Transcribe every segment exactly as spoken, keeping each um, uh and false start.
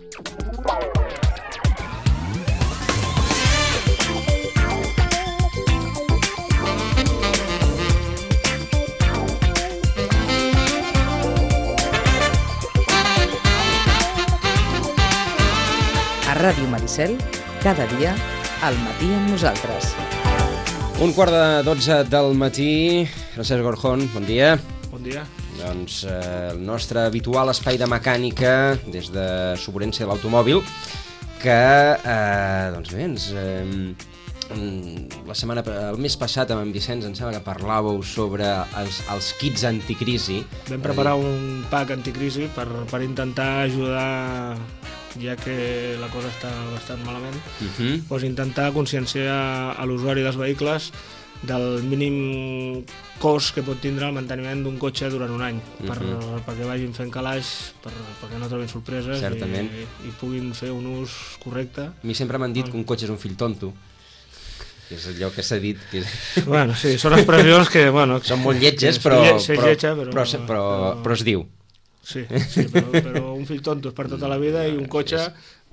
A Ràdio Maricel, cada dia, al matí amb nosaltres. Un quart de dotze del matí. Francesc Gorjón, bon dia. Bon dia. Doncs eh, el nostre habitual espai de mecànica des de Sobrència de l'automòbil, que, eh, doncs bé, ens, eh, la setmana, el mes passat amb en Vicenç em sembla que parlàveu sobre els, els kits anticrisi. Vam preparar un pack anticrisi per, per intentar ajudar, ja que la cosa està bastant malament, uh-huh. doncs intentar conscienciar a l'usuari dels vehicles del mínim cost que pot tindre el manteniment d'un cotxe durant un any, uh-huh. per, perquè vagin fent calaix, per, perquè no trobin sorpreses i, i puguin fer un ús correcte. A mi sempre m'han dit que un cotxe és un fill tonto, que és allò que s'ha dit. Que és... Bueno, sí, són expressions que... Bueno, són molt lletges, però, però, però, lletja, però, però, però, però, però es diu. Sí, sí però, però un fill tonto és per tota la vida i un cotxe...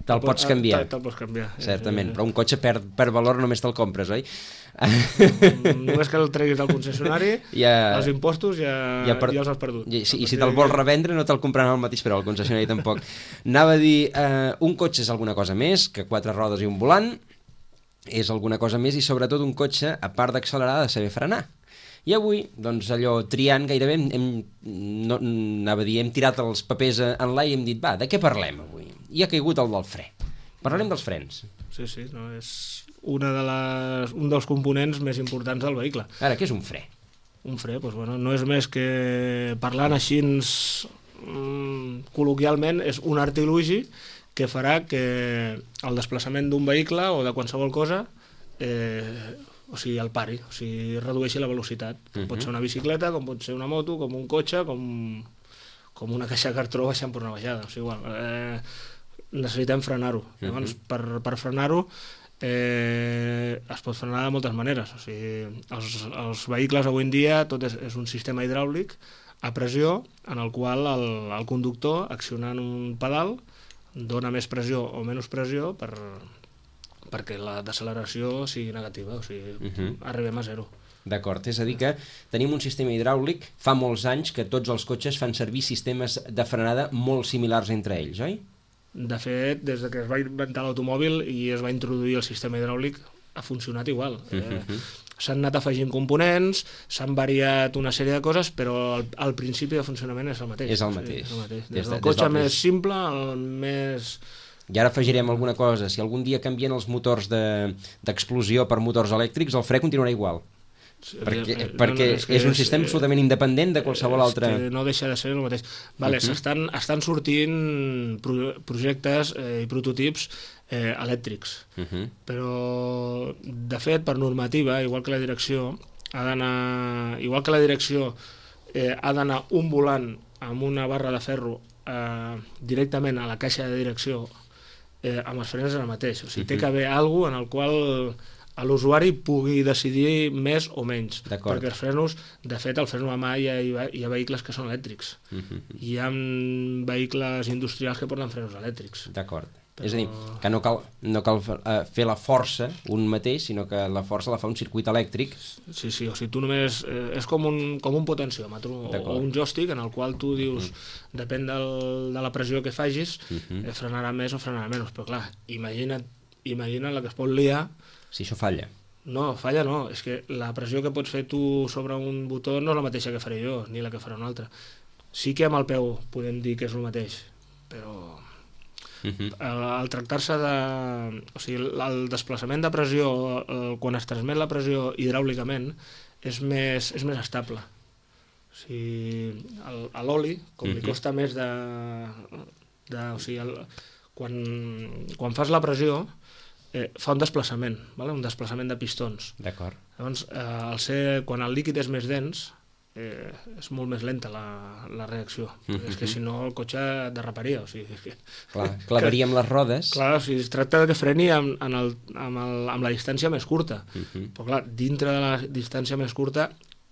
Te'l pots canviar. Te'l pots canviar. Certament, però un cotxe perd, perd valor només te'l compres, oi? Només que el treguis del concessionari, ja, els impostos ja, ja, per... ja els has perdut. I, i si te'l vols revendre no te'l compraran al mateix preu, el concessionari tampoc. Anava a dir, eh, un cotxe és alguna cosa més que quatre rodes i un volant, és alguna cosa més i sobretot un cotxe, a part d'accelerar, ha de saber frenar. I avui, doncs allò, triant gairebé, hem, no, anava a dir, hem tirat els papers enlaire i hem dit, va, de què parlem avui? I ha caigut el del fre. Parlarem dels frens. Sí, sí, no, és una de les, un dels components més importants del vehicle. Ara, què és un fre? Un fre, doncs, bueno, no és més que, parlant així mm, col·loquialment, és un artilugi que farà que el desplaçament d'un vehicle o de qualsevol cosa eh, o sigui, el pari, o sigui, redueixi la velocitat. Uh-huh. Pot ser una bicicleta, com pot ser una moto, com un cotxe, com, com una caixa de cartró baixant per una baixada. O sigui, igual, eh, necessitem frenar-ho. Uh-huh. Llavors, per, per frenar-ho eh, es pot frenar de moltes maneres. O sigui, els, els vehicles avui en dia tot és, és un sistema hidràulic a pressió en el qual el, el conductor, accionant un pedal, dona més pressió o menys pressió per... perquè la deceleració sigui negativa, o sigui, uh-huh. arribem a zero. D'acord, és a dir que tenim un sistema hidràulic, fa molts anys que tots els cotxes fan servir sistemes de frenada molt similars entre ells, oi? De fet, des que es va inventar l'automòbil i es va introduir el sistema hidràulic, ha funcionat igual. Uh-huh. Eh, s'han anat afegint components, s'han variat una sèrie de coses, però el, el principi de funcionament és el mateix. És el mateix. O sigui, és el mateix. Des, des del cotxe des del... més simple al més... I ara afegirem alguna cosa. Si algun dia canvien els motors de, d'explosió per motors elèctrics, el fre continuarà igual. Sí, perquè eh, perquè no, no, és, és un és, sistema absolutament independent de qualsevol altre... No deixa de ser el mateix. Vale, uh-huh. estan, estan sortint pro, projectes eh, i prototips eh, elèctrics, uh-huh. però de fet, per normativa, igual que la direcció, ha d'anar, igual que la direcció eh, ha d'anar un volant amb una barra de ferro eh, directament a la caixa de direcció, Eh, amb els frens és el mateix, o sigui, uh-huh. té que haver alguna cosa en el qual l'usuari pugui decidir més o menys. D'acord. Perquè els frenos, de fet, el freno a mà hi ha, hi ha vehicles que són elèctrics. Uh-huh. Hi ha vehicles industrials que porten frenos elèctrics. D'acord. Però... És a dir, que no cal, no cal uh, fer la força un mateix, sinó que la força la fa un circuit elèctric. Sí, sí, o sigui, tu només... Eh, és com un, com un potenciòmetre o, o un joystick en el qual tu dius, uh-huh. depèn del, de la pressió que facis, uh-huh. eh, frenarà més o frenarà menys. Però clar, imagina't, imagina't la que es pot liar... Si això falla. No, falla no, és que la pressió que pots fer tu sobre un botó no és la mateixa que faré jo, ni la que farà un altre. Sí que amb el peu podem dir que és el mateix, però... Uh-huh. Al, al tractar-se de... O sigui, el desplaçament de pressió, el, quan es transmet la pressió hidràulicament, és més, és més estable. O sigui, el, a l'oli, com uh-huh. li costa més de... de o sigui, el, quan, quan fas la pressió, eh, fa un desplaçament, vale? Un desplaçament de pistons. D'acord. Llavors, eh, al ser, quan el líquid és més dens, Eh, és molt més lenta la, la reacció. Mm-hmm. És que si no el cotxe derraparia. O sigui, és que, clar, clavaríem les rodes. Clar, o sigui, es tracta que freni amb, en el, amb, el, amb la distància més curta. Mm-hmm. Però clar, dintre de la distància més curta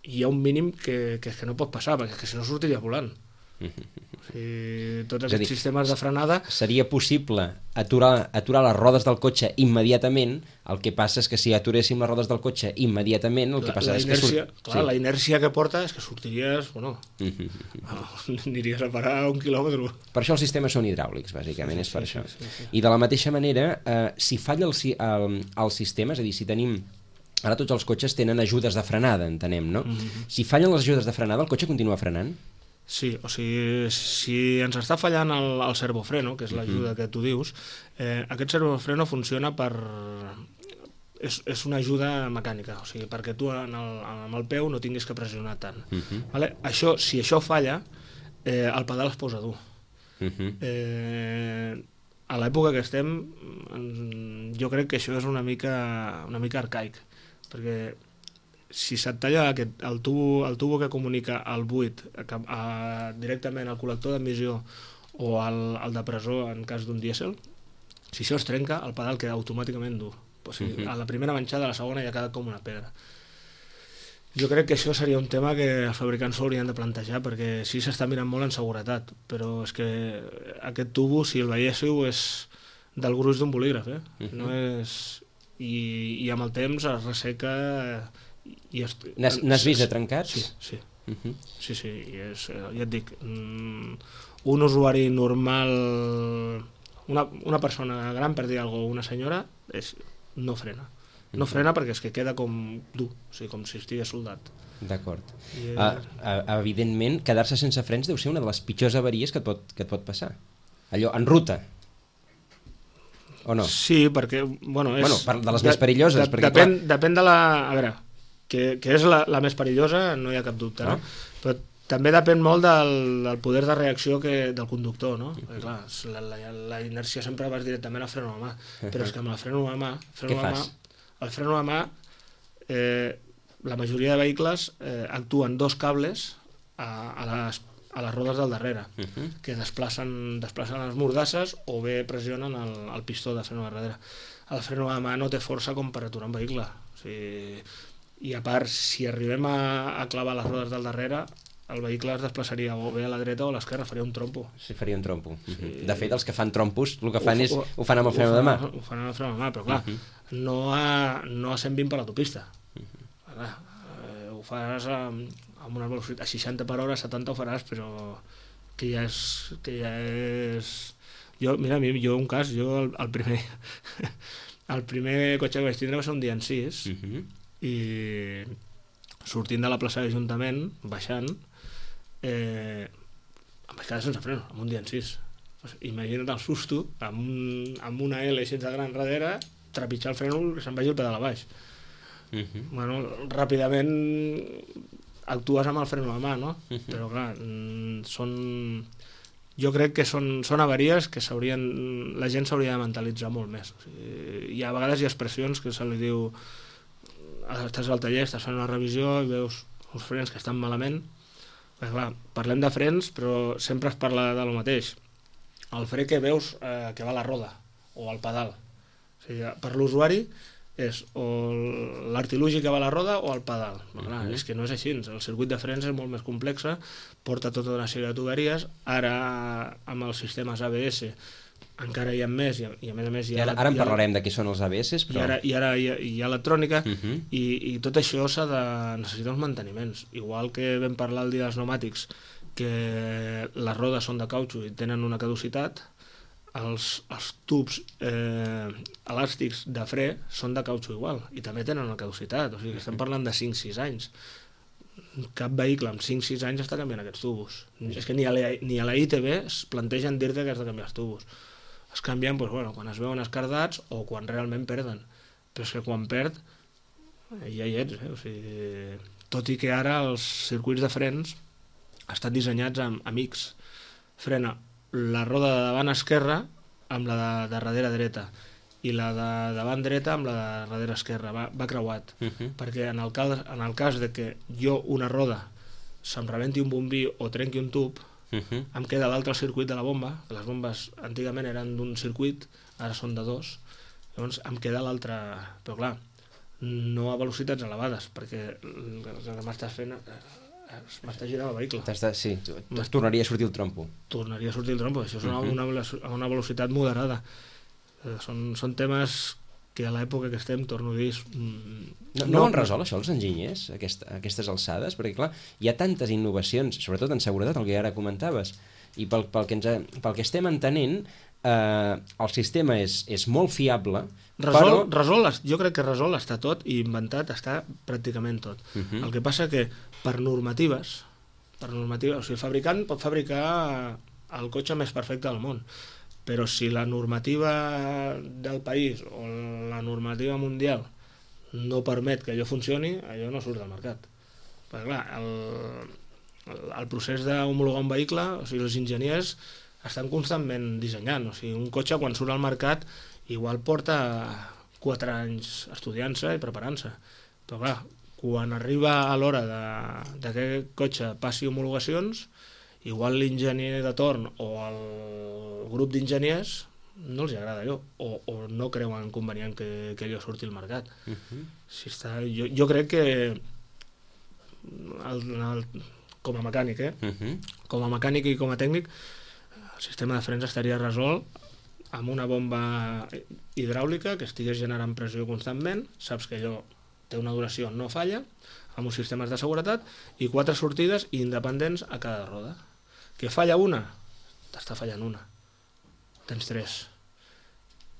hi ha un mínim que, que, que no pot passar, perquè és que si no sortiria volant. O sigui, tots És a aquests dir, sistemes de frenada... Seria possible aturar, aturar les rodes del cotxe immediatament, el que passa és que si aturéssim les rodes del cotxe immediatament, el que La, passa la és inèrcia, que... Surt... clar, sí. la inèrcia que porta és que sortiries, bueno, Mm -hmm. aniries a parar un quilòmetre. Per això els sistemes són hidràulics, bàsicament, Sí, és per sí, això. sí, sí, sí. I de la mateixa manera, eh, si falla el, si- el, el sistema, és a dir, si tenim... Ara tots els cotxes tenen ajudes de frenada, entenem, no? Mm -hmm. Si fallen les ajudes de frenada, el cotxe continua frenant? Sí, o sigui, si ens està fallant el, el servofreno, que és l'ajuda Mhm. que tu dius, eh, aquest servofreno funciona per... És, és una ajuda mecànica, o sigui, perquè tu en el, amb el peu no tinguis que pressionar tant. Mhm. Vale? Això, si això falla, eh, el pedal es posa dur. Mhm. Eh, a l'època que estem, mm, jo crec que això és una mica, una mica arcaic, perquè si se't talla aquest, el, tubo, el tubo que comunica el buit a, a, directament al col·lector d'emissió o al, al depressor en cas d'un dièsel, si això es trenca, el pedal queda automàticament dur. O sigui, Uh-huh. a la primera manxada, a la segona ja queda com una pedra. Jo crec que això seria un tema que els fabricants s'ho haurien de plantejar, perquè sí s'està mirant molt en seguretat, però és que aquest tubo, si el veiéssiu, és del gruix d'un bolígraf, eh? Uh-huh. No és... I, i amb el temps es resseca... I es... N'has n'has vist de trencats? Sí, sí. Mhm. Sí, sí, i és, ja et dic, un usuari normal, una, una persona gran, per dir alguna cosa, una senyora, és, no frena. No frena perquè és que queda com dur, o sigui, com si estigués soldat. D'acord. I, eh, Uh, uh, evidentment, quedar-se sense frens deu ser una de les pitjors avaries que et pot, que et pot passar. Allò, en ruta. O no? Sí, perquè, bueno, és... Bueno, per- de les més perilloses, de, perquè, depèn, clar- depèn de la... A veure, que, que és la, la més perillosa, no hi ha cap dubte, no? Ah. Però també depèn molt del, del poder de reacció que, del conductor, no? Perquè, clar, la, la, la inèrcia sempre vas directament al freno a mà, però és que amb el freno a mà... Freno Què a fas? mà, el freno a mà, eh, la majoria de vehicles eh, actuen dos cables a, a, les, a les rodes del darrere, Mhm. que desplacen, desplacen les mordasses o bé pressionen el, el pistó de freno a darrere. El freno a mà no té força com per aturar un vehicle. O sigui, i a part, si arribem a, a clavar les rodes del darrere, el vehicle es desplaçaria o bé a la dreta o a l'esquerra, faria un trompo. Sí, faria un trompo. Sí. Mhm. De fet, els que fan trompos, el que fan Ho- és... ho- Ho fan amb el freno de mà. Ho fan amb el freno de mà, però clar, Mhm. no, a, no a cent vint per l'autopista. Clar, eh, ho faràs amb, amb una velocitat a seixanta per hora, setanta ho faràs, però que ja és... Que ja és... Jo, mira, a mi, jo un cas, jo el, el primer el primer cotxe que vaig tindre va ser un dia en sis, Mhm. i sortint de la plaça d'Ajuntament, baixant, eh, em vaig quedar sense freno, amb un dia en sis. Pues, imagina't el susto, amb, un, amb una L així de gran darrere, trepitjar el freno que se'n vagi el pedal a baix. Mhm. Bueno, ràpidament actues amb el freno a mà, no? Mhm. Però clar, mm, són... Jo crec que són, són avaries que s'haurien, la gent s'hauria de mentalitzar molt més. O sigui, hi ha, a vegades hi ha expressions que se li diu estàs al taller, estàs fent una revisió i veus uns frens que estan malament. Perquè, clar, parlem de frens, però sempre es parla de lo mateix. El fre que veus eh, que va a la roda o al pedal. O sigui, per l'usuari és o l'artilugi que va a la roda o al pedal. Però, clar, Mhm. és que no és així. El circuit de frens és molt més complex, porta tota una sèrie de tuberies. Ara, amb els sistemes A B S, encara hi ha més, i a, i a més a més... Hi I ha, ara, ara en hi ha- parlarem de què són els A B S, i però... ara, i ara hi ha, hi ha electrònica, Mhm. i, i tot això s'ha de necessitar uns manteniments. Igual que vam parlar el dia dels pneumàtics, que les rodes són de cautxo i tenen una caducitat, els, els tubs eh, elàstics de fre són de cautxo igual, i també tenen una caducitat. O sigui, que estem parlant de cinc sis anys. Cap vehicle amb cinc sis anys està canviant aquests tubos. És que ni a la, ni a la I T B es plantegen dir-te que has de canviar els tubos. Es canvien doncs, bueno, quan es veuen escardats o quan realment perden. Però és que quan perd, eh, ja hi ets. Eh? O sigui, tot i que ara els circuits de frens estan dissenyats amb, amb X. Frena la roda de davant esquerra amb la de, de darrere dreta i la de davant dreta amb la de darrere esquerra. Va, va creuat. Mhm. Perquè en el, cas, en el cas de que jo una roda se'm rebenti un bombí o trenqui un tub, Mhm. em queda l'altre circuit de la bomba, que les bombes antigament eren d'un circuit, ara són de dos, llavors em queda l'altre... Però clar, no a velocitats elevades, perquè el que m'estàs fent m'està girant el vehicle. De, sí, es tornaria a sortir el trompo. Tornaria a sortir el trompo, això és una, una, una velocitat moderada. Eh, són, són temes que a l'època que estem, torno a dir... Mm, no, no ho han resolt això els enginyers, aquest, aquestes alçades? Perquè clar, hi ha tantes innovacions, sobretot en seguretat, el que ara comentaves, i pel, pel, que, ens, pel que estem entenent, eh, el sistema és, és molt fiable, Resol, però... resol, jo crec que resol està tot i inventat està pràcticament tot. Uh -huh. El que passa que per normatives, per normatives, o sigui, el fabricant pot fabricar el cotxe més perfecte del món, però si la normativa del país o la normativa mundial no permet que allò funcioni, allò no surt del mercat. Perquè clar, el, el, el procés d'homologar un vehicle, o sigui, els enginyers estan constantment dissenyant, o sigui, un cotxe quan surt al mercat igual porta quatre anys estudiant-se i preparant-se. Però clar, quan arriba a l'hora de, de que aquest cotxe passi homologacions, igual l'enginyer de torn o el grup d'enginyers no els agrada allò, o, o no creuen convenient que, que allò surti al mercat. Uh-huh. Si està, jo, jo crec que el, el, com a mecànic, eh? Uh-huh. com a mecànic i com a tècnic, el sistema de frens estaria resolt amb una bomba hidràulica que estigués generant pressió constantment, saps que allò té una duració, no falla, amb uns sistemes de seguretat i quatre sortides independents a cada roda. Que falla una, t'està fallant una. Tens tres.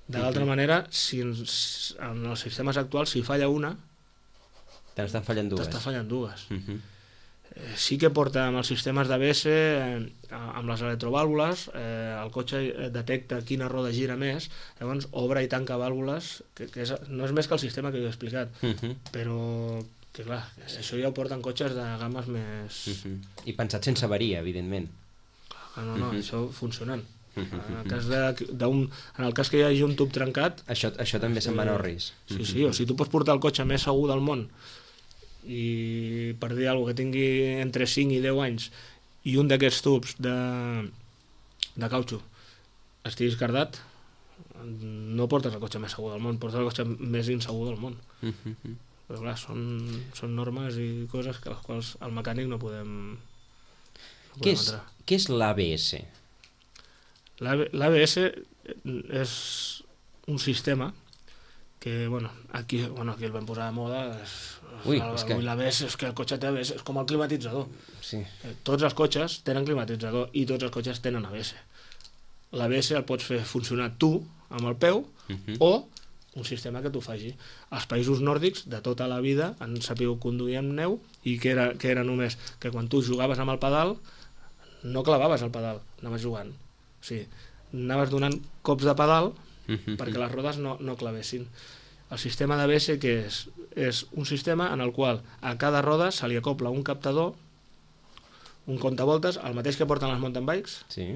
De l'altra uh-huh. manera, si en, en els sistemes actuals, si falla una, t'estan fallant dues. T'està fallant dues. Uh-huh. Eh, sí que porta amb els sistemes d'A B S, eh, amb les electrovàlvules, eh, el cotxe detecta quina roda gira més, llavors obre i tanca vàlvules, que, que és, no és més que el sistema que jo he explicat, uh-huh. però que clar, això ja ho porten cotxes de games més... Uh-huh. I pensat sense avaria, evidentment. Clar, no, no, uh-huh. això funcionant. Uh-huh. En, el cas de, d'un, en el cas que hi hagi un tub trencat... Això, això també se'n va anar al risc. Sí, sí, o sigui, tu pots portar el cotxe més segur del món i per dir alguna cosa que tingui entre cinc i deu anys i un d'aquests tubs de, de cautxo estigui escardat, no portes el cotxe més segur del món, portes el cotxe més insegur del món. Uh-huh. Però clar, són, són normes i coses que les quals el mecànic no podem, no podem què és, entrar. Què és l'A B S? L'A B S és un sistema que, bueno, aquí, bueno, aquí el vam posar de moda, és, Ui, el, és que... l'A B S, és que el cotxe té A B S, és com el climatitzador. Sí. Tots els cotxes tenen climatitzador i tots els cotxes tenen A B S. L'A B S el pots fer funcionar tu amb el peu uh-huh. o un sistema que t'ho faci. Els països nòrdics de tota la vida han sapigut conduir amb neu i que era, que era només que quan tu jugaves amb el pedal no clavaves el pedal, anaves jugant. O sigui, anaves donant cops de pedal uh-huh. perquè les rodes no, no clavessin. El sistema d'A B S que és? És un sistema en el qual a cada roda se li acopla un captador, un comptavoltes, el mateix que porten les mountain bikes, sí.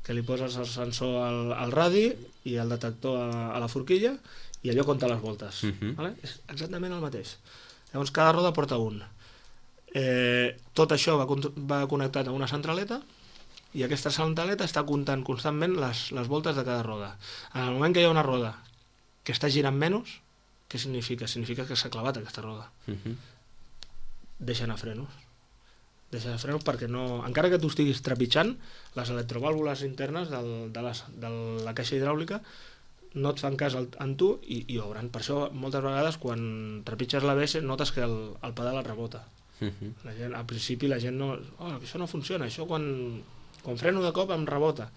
que li poses el sensor al, al radi i el detector a, a la forquilla i allò compta les voltes. Uh-huh. Vale? És exactament el mateix. Llavors cada roda porta un. Eh, tot això va, va connectat a una centraleta i aquesta centraleta està comptant constantment les, les voltes de cada roda. En el moment que hi ha una roda que està girant menys, què significa? Significa que s'ha clavat aquesta roda. Uh-huh. Deixa anar frenos. Deixa anar frenos perquè no... Encara que tu estiguis trepitjant, les electrovàlvules internes del, de, les, de la caixa hidràulica no et fan cas en tu i, i obren. Per això, moltes vegades, quan trepitges l'A B S, notes que el, el pedal et rebota. Uh-huh. La gent, al principi la gent no... Oh, això no funciona, això quan, quan freno de cop em rebota.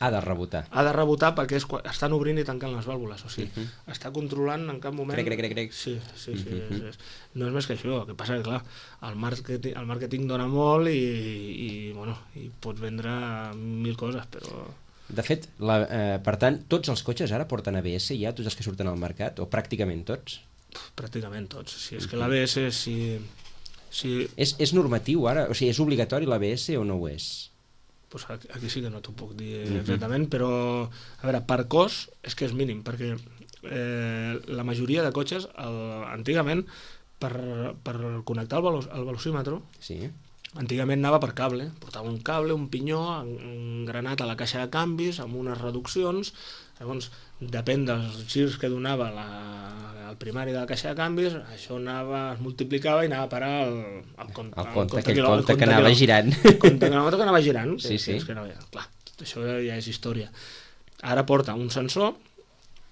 Ha de rebotar. Ha de rebotar perquè és, estan obrint i tancant les vàlvules, o sigui, uh-huh. està controlant en cap moment... Crec, crec, crec, crec. Sí, sí, sí. Uh-huh. és, és. No és més que això, el que passa que, clar, el màrqueting, el màrqueting dona molt i, i, bueno, i pots vendre mil coses, però... De fet, la, eh, per tant, tots els cotxes ara porten A B S ja, tots els que surten al mercat, o pràcticament tots? Pff, pràcticament tots. Si és que l'A B S, si... si... És, és normatiu ara? O sigui, és obligatori l'A B S o no ho és? Pues aquí, aquí sí que no t'ho puc dir exactament, uh-huh. però, a veure, per cos és que és mínim, perquè eh, la majoria de cotxes, el, antigament, per, per connectar el, velo, el velocímetre, sí. antigament anava per cable, portava un cable, un pinyó engranat a la caixa de canvis amb unes reduccions. Llavors, depèn dels girs que donava la, el primari de la caixa de canvis, això anava, es multiplicava i anava a parar el, el, compte, el compte, el aquell quilò, compte el que anava girant. El compte que anava, que anava girant. Sí, que, sí. Que, que no, clar, això ja és història. Ara porta un sensor,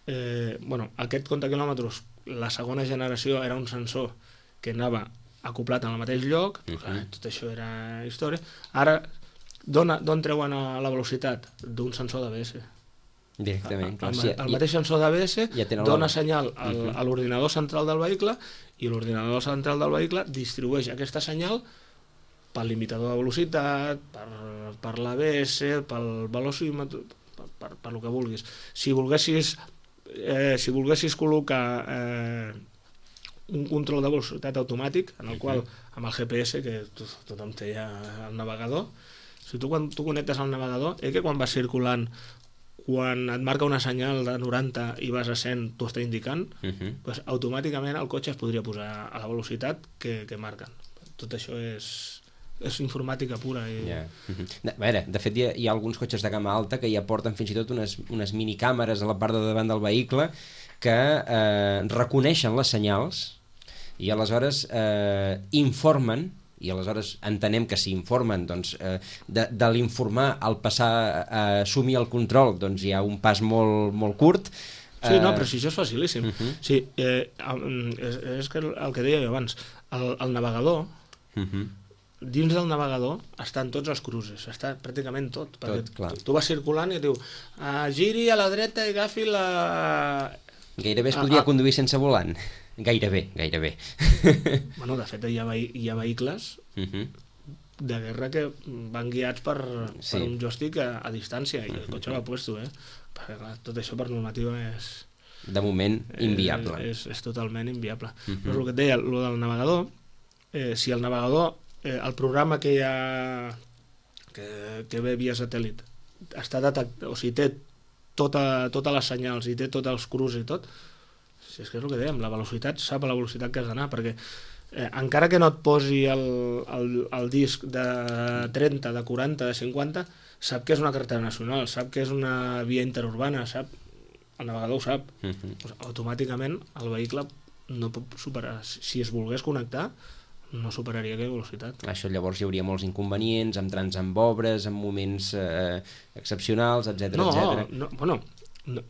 eh, bueno, aquest compte quilòmetres, la segona generació era un sensor que anava acoplat en el mateix lloc, uh -huh. clar, tot això era història. Ara, d'on treuen a la velocitat? D'un sensor d'A B S. Directament, clar. El, Sí, el mateix sensor d'A B S ja dona la... senyal al, uh -huh. a l'ordinador central del vehicle i l'ordinador central del vehicle distribueix aquesta senyal pel limitador de velocitat, per, per l'A B S, pel velocímetre, per, per, per el que vulguis. Si volguessis, eh, si volguessis col·locar eh, un control de velocitat automàtic, en el qual, amb el G P S, que to tothom té ja el navegador, si tu quan tu connectes al navegador, eh, que quan vas circulant, quan et marca una senyal de noranta i vas a cent, t'ho està indicant, uh -huh. pues, automàticament el cotxe es podria posar a la velocitat que, que marquen. Tot això és, és informàtica pura. I... Yeah. Uh -huh. de, a veure, de fet, hi ha, hi ha alguns cotxes de gamma alta que ja porten fins i tot unes, unes minicàmeres a la part de davant del vehicle que eh, reconeixen les senyals i aleshores eh, informen, i aleshores entenem que si informen, doncs, eh, de, de l'informar al passar a assumir el control, doncs hi ha un pas molt, molt curt. Sí, no, però si això és facilíssim. Uh -huh. Sí, eh, és, és que el que deia jo abans, el, el navegador, uh -huh. dins del navegador estan tots els cruces, està pràcticament tot, perquè tot, clar. Tu, tu vas circulant i et diu ah, giri a la dreta i agafi la... Gairebé es podria ah, ah. conduir sense volant. Gairebé, gairebé. Bueno, de fet, hi ha, vehi hi ha vehicles uh -huh. de guerra que van guiats per, sí. per un joystick a, a distància, i el cotxe l'ha puesto, eh? Perquè, clar, tot això per normativa és... De moment, inviable. És, és, és totalment inviable. Uh -huh. Però el que et deia, el del navegador, eh, si el navegador, eh, el programa que hi ha, que, que ve via satèl·lit, està detectat, o sigui, té tota, totes les senyals i té tots els cruces i tot, si és que és el que dèiem, la velocitat sap a la velocitat que has d'anar, perquè eh, encara que no et posi el, el, el disc de trenta, de quaranta, de cinquanta, sap que és una carretera nacional, sap que és una via interurbana, sap, el navegador ho sap. Uh -huh. Pues, automàticament el vehicle no pot superar, si es volgués connectar, no superaria aquella velocitat. Això llavors hi hauria molts inconvenients, amb trams amb obres, amb moments eh, excepcionals, etcètera, no, etcètera. No, bueno, no,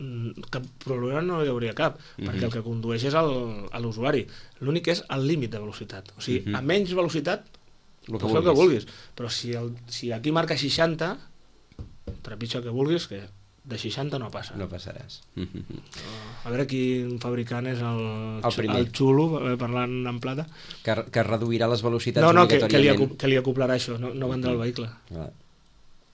cap problema no hi hauria cap, uh -huh. perquè el que condueix és l'usuari. L'únic és el límit de velocitat. O sigui, uh -huh. a menys velocitat, el que, el que vulguis. Però si, el, si aquí marca seixanta, trepitja el que vulguis, que de seixanta no passa. No passaràs. A veure quin fabricant és el, el, el xulo, parlant en plata. Que, que reduirà les velocitats no, no, que, que, li, obligatòriament. que li acoplarà això, no, no vendrà el vehicle. Ah.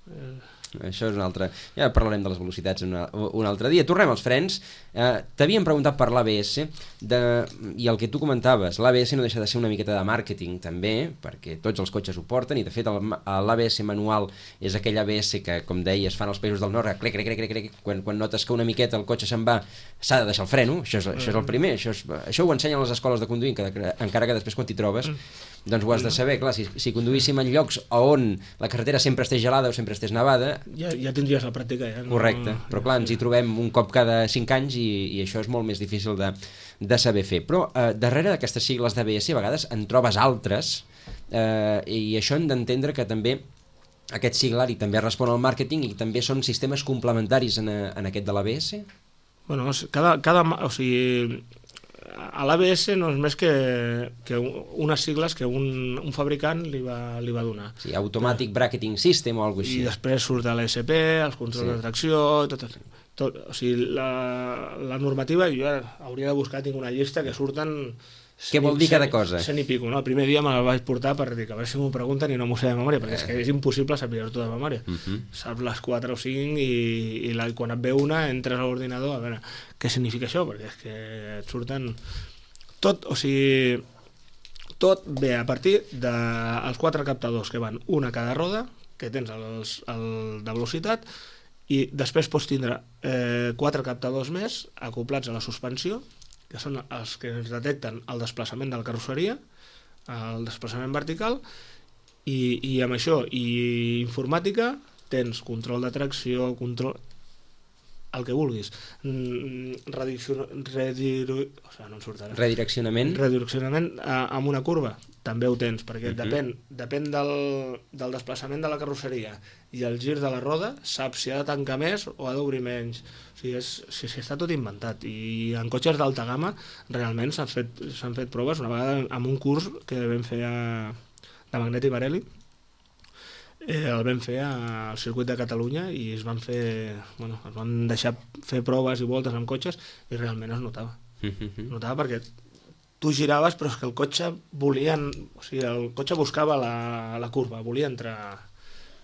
Eh... Això és un altre... Ja parlarem de les velocitats una, un altre dia. Tornem als frens. Eh, T'havíem preguntat per l'A B S de... i el que tu comentaves, l'A B S no deixa de ser una miqueta de màrqueting també, perquè tots els cotxes ho porten, i de fet l'A B S manual és aquell A B S que, com deies, fan els països del nord, crec, crec, crec, crec, quan, quan notes que una miqueta el cotxe se'n va, s'ha de deixar el freno, això és, això és el primer, això, és, això ho ensenyen les escoles de conduir, que, encara que després quan t'hi trobes doncs ho has de saber, clar, si, si conduíssim en llocs on la carretera sempre estés gelada o sempre estés nevada... Ja, ja tindries la pràctica. Ja, correcte, no, però clar, ens hi trobem un cop cada cinc anys i, i això és molt més difícil de, de saber fer. Però eh, darrere d'aquestes sigles d'A B S a vegades en trobes altres eh, i això hem d'entendre que també aquest siglari també respon al màrqueting i també són sistemes complementaris en, en aquest de l'A B S? Bueno, cada, cada, o sigui... a l'A B S no és més que, que unes sigles que un, un fabricant li va, li va donar. Sí, Automatic eh, Bracketing System o alguna cosa així. I després surt l'E S P, els controls sí. de tracció, tot, tot, o sigui, la, la normativa, jo hauria de buscar, tinc una llista que surten... Què vol dir cada cosa? Cent i pico, no? El primer dia me la vaig portar per dir que a veure si m'ho pregunten i no m'ho sé de memòria, perquè és que és impossible saber-ho de memòria. Uh -huh. Saps les quatre o cinc i, i la, quan et ve una entres a l'ordinador a veure què significa això, perquè és que et surten... Tot, o sigui... Tot ve a partir dels quatre captadors que van una a cada roda, que tens els, el de velocitat, i després pots tindre eh, quatre captadors més acoplats a la suspensió, que són els que ens detecten el desplaçament de la carrosseria, el desplaçament vertical, I, i amb això, i informàtica, tens control de tracció, control... el que vulguis. Redireccion... Rediru... o sigui, no em surt ara. Redireccionament. Redireccionament a, amb una curva, també ho tens, perquè uh -huh. depèn, depèn del, del desplaçament de la carrosseria i el gir de la roda, saps si ha de tancar més o ha d'obrir menys. O sigui, és, si, si està tot inventat. I en cotxes d'alta gamma realment s'han fet, s'han fet proves una vegada amb un curs que vam fer a, de Magneti Barelli. Eh, el vam fer al circuit de Catalunya i es van fer, bueno, es van deixar fer proves i voltes amb cotxes i realment es notava. Es notava perquè tu giraves però és que el cotxe volia, o sigui, el cotxe buscava la, la curva, volia entrar.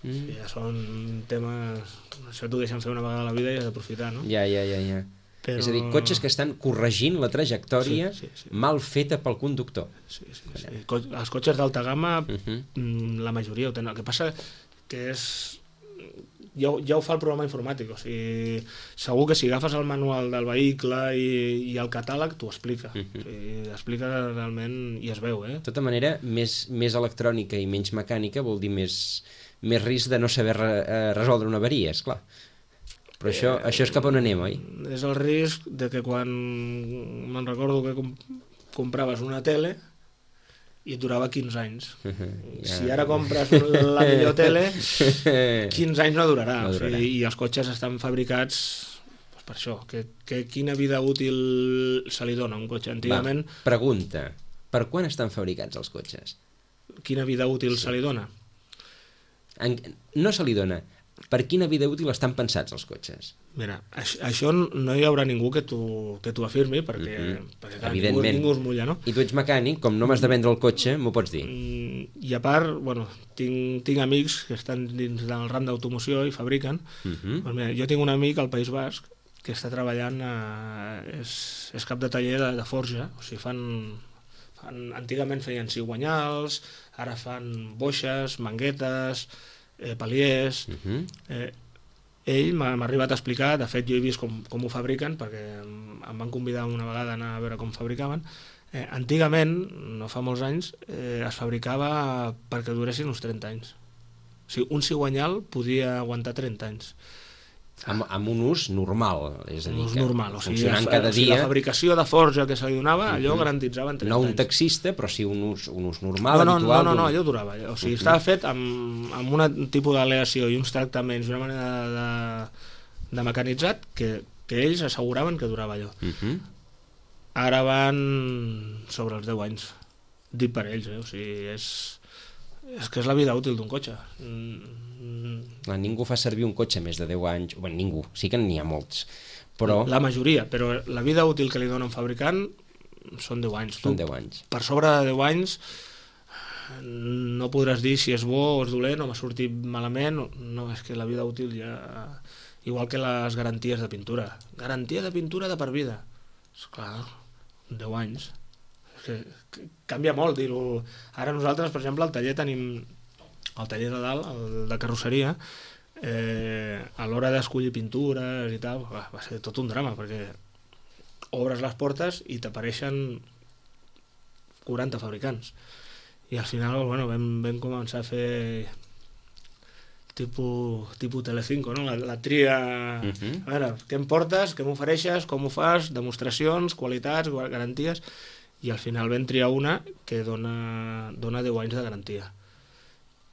Mm. O sigui, ja són temes... Això t'ho deixen fer una vegada a la vida i has d'aprofitar, no? Ja, ja, ja, ja. Però... És a dir, cotxes que estan corregint la trajectòria sí, sí, sí. mal feta pel conductor. Sí, sí, sí. Co els cotxes d'alta gamma, uh -huh. la majoria ho tenen. El que passa que és... Ja, ja ho fa el programa informàtic, o sigui, segur que si agafes el manual del vehicle i, i el catàleg, t'ho explica. Uh -huh. O sigui, explica realment i es veu, eh? De tota manera, més, més electrònica i menys mecànica vol dir més, més risc de no saber re, resoldre una avaria, esclar. Però això, eh, això és cap on anem, oi? És el risc de que quan... Me'n recordo que comp compraves una tele i et durava quinze anys. Uh -huh, ja. Si ara compres la millor tele, quinze anys no durarà. No durarà. O sigui, i els cotxes estan fabricats doncs per això. Que, que quina vida útil se li dona a un cotxe? Antigament... Va, pregunta, per quan estan fabricats els cotxes? Quina vida útil sí. se li dona? En, no se li dona. Per quina vida útil estan pensats els cotxes? Mira, això, això no hi haurà ningú que t'ho afirmi, perquè, uh -huh. perquè clar, ningú, ningú es mulla, no? I tu ets mecànic, com no m'has de vendre el cotxe, m'ho pots dir? I a part, bueno, tinc, tinc amics que estan dins del ram d'automoció i fabriquen. Uh -huh. Pues mira, jo tinc un amic al País Basc que està treballant, a, és, és cap de taller de, de forja, o sigui, fan, fan... Antigament feien cigüanyals, ara fan boixes, manguetes... Eh, paliers, uh -huh. eh, ell m'ha arribat a explicar, de fet jo he vist com, com ho fabriquen perquè em van convidar una vegada a anar a veure com fabricaven. Eh, antigament, no fa molts anys, eh, es fabricava perquè duressin uns trenta anys. O sigui, un cigüanyal podia aguantar trenta anys. Amb, amb un ús normal, és a dir, ús normal, o sigui, funcionant la, cada o sigui, dia... La fabricació de forja que se li donava, allò uh -huh. garantitzaven trenta anys. No un taxista, però sí un ús, un ús normal, no, no, habitual... No, no, no, allò durava. O sigui, uh -huh. estava fet amb, amb un tipus d'aleació i uns tractaments i una manera de, de mecanitzat que, que ells asseguraven que durava allò. Uh -huh. Ara van sobre els deu anys. Dit per ells, eh? O sigui, és... és que és la vida útil d'un cotxe. Mm. Ningú fa servir un cotxe més de deu anys, bueno, ningú, sí que n'hi ha molts, però... La majoria, però la vida útil que li dona un fabricant són deu anys. Són deu anys. Per sobre de deu anys no podràs dir si és bo o és dolent o m'ha sortit malament, no, és que la vida útil ja... Igual que les garanties de pintura. Garantia de pintura de per vida. Esclar, deu anys. Que, que canvia molt dir-ho. Ara nosaltres, per exemple, al taller tenim el taller de dalt, el de carrosseria, eh, a l'hora d'escollir pintures i tal, va, va ser tot un drama, perquè obres les portes i t'apareixen quaranta fabricants. I al final, bueno, vam, vam començar a fer tipus, tipus Telecinco, no? La, la tria... Uh -huh. A veure, què em portes, què m'ofereixes, com ho fas, demostracions, qualitats, garanties... I al final vam triar una que dona, dona deu anys de garantia.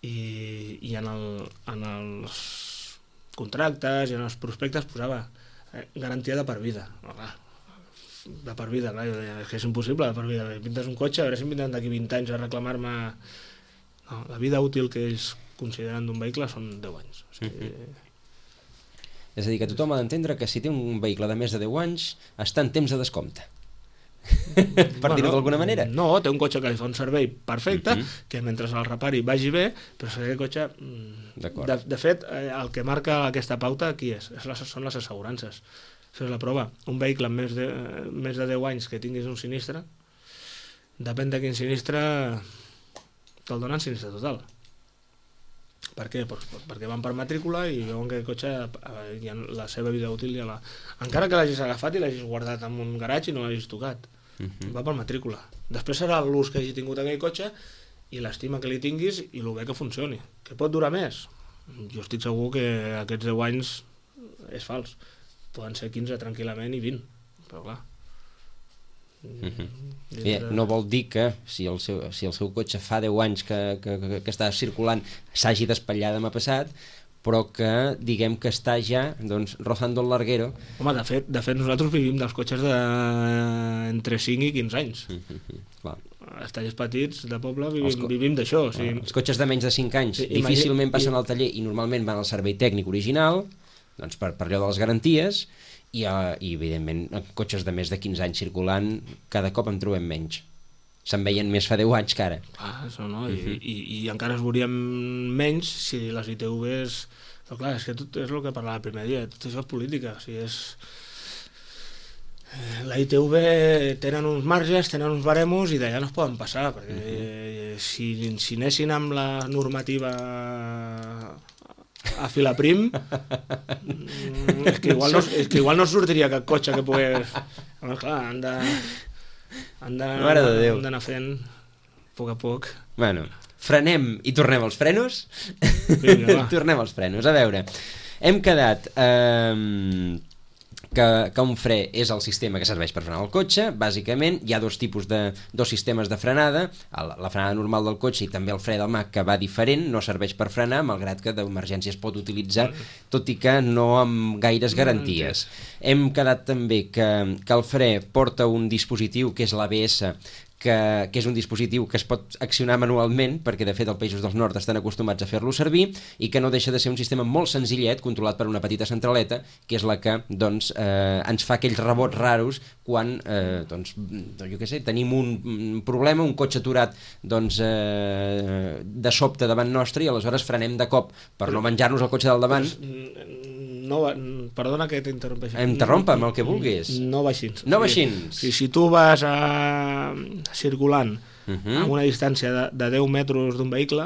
I, i en, el, en els contractes i en els prospectes posava eh, garantia de per vida. No, clar, de per vida, clar, jo deia, és que és impossible de per vida. Pintes un cotxe, a veure si em vindran d'aquí vint anys a reclamar-me... No, la vida útil que ells consideren d'un vehicle són deu anys. O sigui... Mm-hmm. És a dir, que tothom ha d'entendre que si té un vehicle de més de deu anys està en temps de descompte. per bueno, dir-ho d'alguna manera. No, té un cotxe que li fa un servei perfecte, uh -huh. que mentre el repari vagi bé, però si aquest cotxe... De, de fet, el que marca aquesta pauta aquí és, és les, són les assegurances. Això és la prova. Un vehicle amb més de, més de deu anys que tinguis un sinistre, depèn de quin sinistre, te'l donen sinistre total. Per què? Pues perquè van per matrícula i veuen que el cotxe ja, la seva vida útil ja la... Encara que l'hagis agafat i l'hagis guardat en un garatge i no l'hagis tocat. Uh-huh. Va per matrícula. Després serà l'ús que hagi tingut aquell cotxe i l'estima que li tinguis i el bé que funcioni. Que pot durar més? Jo estic segur que aquests deu anys és fals. Poden ser quinze tranquil·lament i vint, però clar... Mm-hmm. Dintre... No vol dir que si el seu, si el seu cotxe fa deu anys que, que, que, que està circulant s'hagi d'espatllar demà passat, però que diguem que està ja doncs, rozando el larguero. Home, de fet, de fet nosaltres vivim dels cotxes de entre cinc i quinze anys. Mm-hmm. Clar. Els tallers petits de poble vivim, co... vivim d'això. O sigui... Els cotxes de menys de cinc anys sí, difícilment passen i... al taller i normalment van al servei tècnic original, doncs per, per allò de les garanties, i, uh, i evidentment cotxes de més de quinze anys circulant cada cop en trobem menys. Se'n veien més fa deu anys que ara. Ah, això no, uh-huh. I, i, i encara es veuríem menys si les I T Vs... Però clar, és que tot és el que parlava el primer dia, tot això és política, o sigui, és... La I T V tenen uns marges, tenen uns baremos i d'allà no es poden passar, perquè uh-huh. si, si anessin amb la normativa a filaprim és que igual no, és que igual no sortiria cap cotxe que pogués... Home, clar, han de han d'anar fent a poc a poc. Bueno, frenem i tornem als frenos. Vinga, tornem als frenos, a veure, hem quedat eh, que, que un fre és el sistema que serveix per frenar el cotxe. Bàsicament hi ha dos tipus de dos sistemes de frenada, la frenada normal del cotxe i també el fre de mà, que va diferent, no serveix per frenar, malgrat que d'emergència es pot utilitzar, tot i que no amb gaires garanties. Hem quedat també que, que el fre porta un dispositiu que és l'A B S, que, que és un dispositiu que es pot accionar manualment, perquè de fet els països del nord estan acostumats a fer-lo servir, i que no deixa de ser un sistema molt senzillet, controlat per una petita centraleta, que és la que doncs, eh, ens fa aquells rebots raros quan eh, doncs, jo què sé, tenim un problema, un cotxe aturat doncs, eh, de sobte davant nostre, i aleshores frenem de cop per no menjar-nos el cotxe del davant. No, perdona que t'interrompeixi. Interrompa amb el que vulguis. No va així. No va així. Si, si tu vas a, circulant uh-huh. a una distància de, de deu metres d'un vehicle,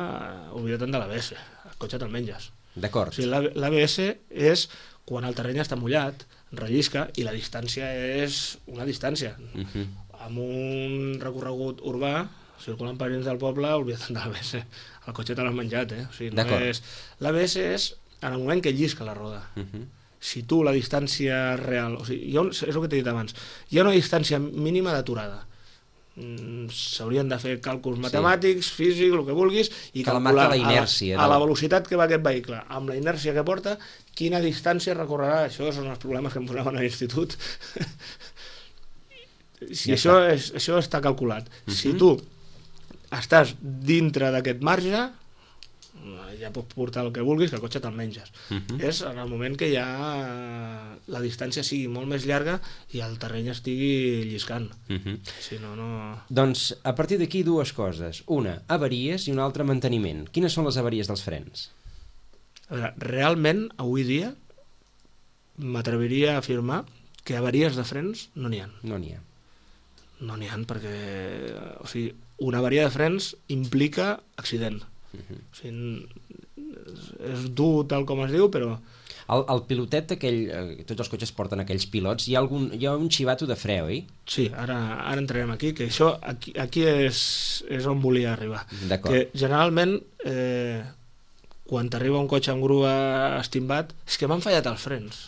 oblida't de l'A B S. El cotxe te'l menges. D'acord. O sigui, l'A B S és quan el terreny està mullat, rellisca, i la distància és una distància. Uh-huh. Amb un recorregut urbà, circulant per dins del poble, oblida't de l'A B S. El cotxe te l'has menjat, eh? O sigui, no és... L'A B S és en el moment que llisca la roda. Uh-huh. Si tu la distància real... O sigui, ha, és el que t'he dit abans. Hi ha una distància mínima d'aturada. Mm, s'haurien de fer càlculs matemàtics, sí. físics, el que vulguis, i que calcular la inèrcia, a, la, a la velocitat que va aquest vehicle, amb la inèrcia que porta, quina distància recorrerà. Això són els problemes que em posaven a l'institut. Si ja això, està. És, això està calculat. Uh-huh. Si tu estàs dintre d'aquest marge, ja pots portar el que vulguis, que el cotxe te'l menges. Uh-huh. És en el moment que ja la distància sigui molt més llarga i el terreny estigui lliscant. Uh-huh. Si no, no... Doncs a partir d'aquí dues coses. Una, avaries, i una altra, manteniment. Quines són les avaries dels frens? A veure, realment, avui dia, m'atreviria a afirmar que avaries de frens no n'hi ha. No n'hi ha. No n'hi ha perquè... O sigui, una avaria de frens implica accident. Uh-huh. O sigui, és dur tal com es diu, però el, el pilotet aquell, eh, tots els cotxes porten aquells pilots, hi ha, algun, hi ha un xivato de fre, oi? Sí, ara, ara entrarem aquí, que això aquí, aquí és, és on volia arribar. D'acord. Que generalment eh, quan t'arriba un cotxe amb grua estimbat, és que m'han fallat els frens.